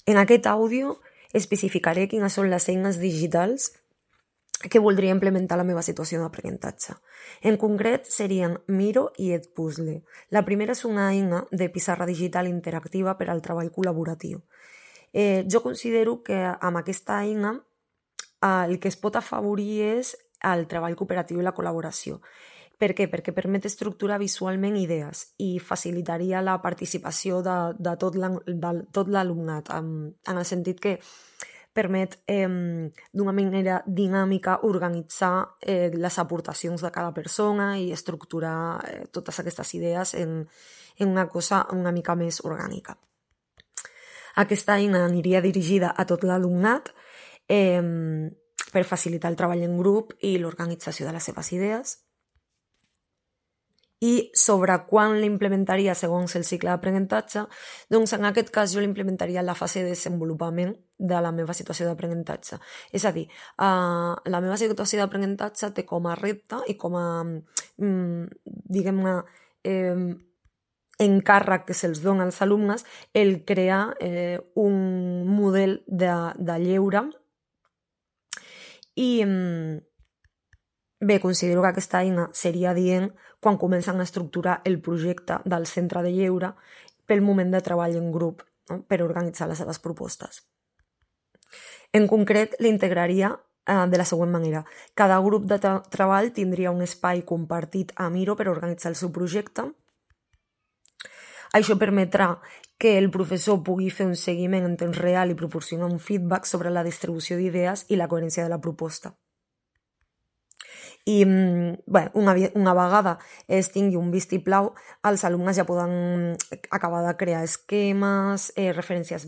En aquest àudio especificaré quines són les eines digitals que voldria implementar la meva situació d'aprenentatge. En concret, serien Miro i Edpuzzle. La primera és una eina de pissarra digital interactiva per al treball col·laboratiu. Jo considero que amb aquesta eina el que es pot afavorir és el treball cooperatiu i la col·laboració. Per què? Perquè permet estructurar visualment idees i facilitaria la participació de tot l'alumnat, en el sentit que permet d'una manera dinàmica organitzar les aportacions de cada persona i estructurar totes aquestes idees en una cosa una mica més orgànica. Aquesta eina aniria dirigida a tot l'alumnat per facilitar el treball en grup i l'organització de les seves idees. I sobre quan l'implementaria segons el cicle d'aprenentatge, doncs en aquest cas jo l'implementaria en la fase de desenvolupament de la meva situació d'aprenentatge. És a dir, la meva situació d'aprenentatge té com a repte i com a, diguem-ne, encàrrec que se'ls dona als alumnes el crear un model de lleure i bé, considero que aquesta eina seria adient quan comencen a estructurar el projecte del centre de lleure pel moment de treball en grup, no? Per organitzar les seves propostes. En concret, l'integraria de la següent manera. Cada grup de treball tindria un espai compartit a Miro per organitzar el seu projecte. Això permetrà que el professor pugui fer un seguiment en temps real i proporcionar un feedback sobre la distribució d'idees i la coherència de la proposta. I bé, una vegada es tingui un vistiplau, els alumnes ja poden acabar de crear esquemes, referències